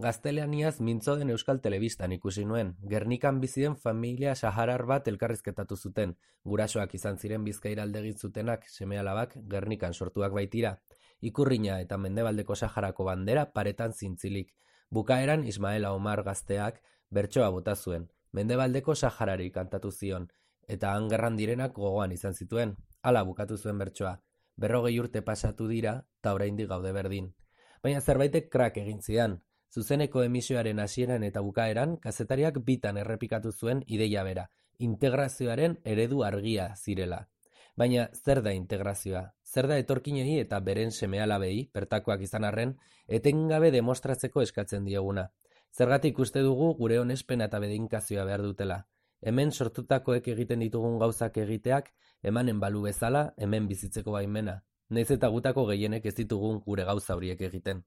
Gaztelaniaz mintzo den Euskal Telebistan ikusi nuen. Gernikan bizi den familia saharar bat elkarrizketatu zuten. Gurasoak izan ziren Bizkaira alde egin zutenak, seme-alabak Gernikan sortuak baitira. Ikurrina eta Mendebaldeko Saharako bandera paretan zintzilik. Bukaeran Ismaela Omar gazteak bertsoa bota zuen. Mendebaldeko Saharari kantatu zion, eta han gerran direnak gogoan izan zituen. Hala bukatu zuen bertsoa. 40 urte pasatu dira, eta oraindik gaude berdin. Baina zerbaitek krak egin zidan. Zuzeneko emisioaren hasieran eta bukaeran, kazetariak bitan errepikatu zuen ideia bera, integrazioaren eredu argia zirela. Baina zer da integrazioa? Zer da etorkinei eta beren seme-alabei, bertakoak izan arren, etengabe demostratzeko eskatzen dieguna? Zergatik uste dugu gure onespena eta bedeinkazioa behar dutela? Hemen sortutakoek egiten ditugun gauzak egiteak, emanen balu bezala, hemen bizitzeko baimena. Nahiz eta gutako gehienek ez ditugun gure gauza horiek egiten.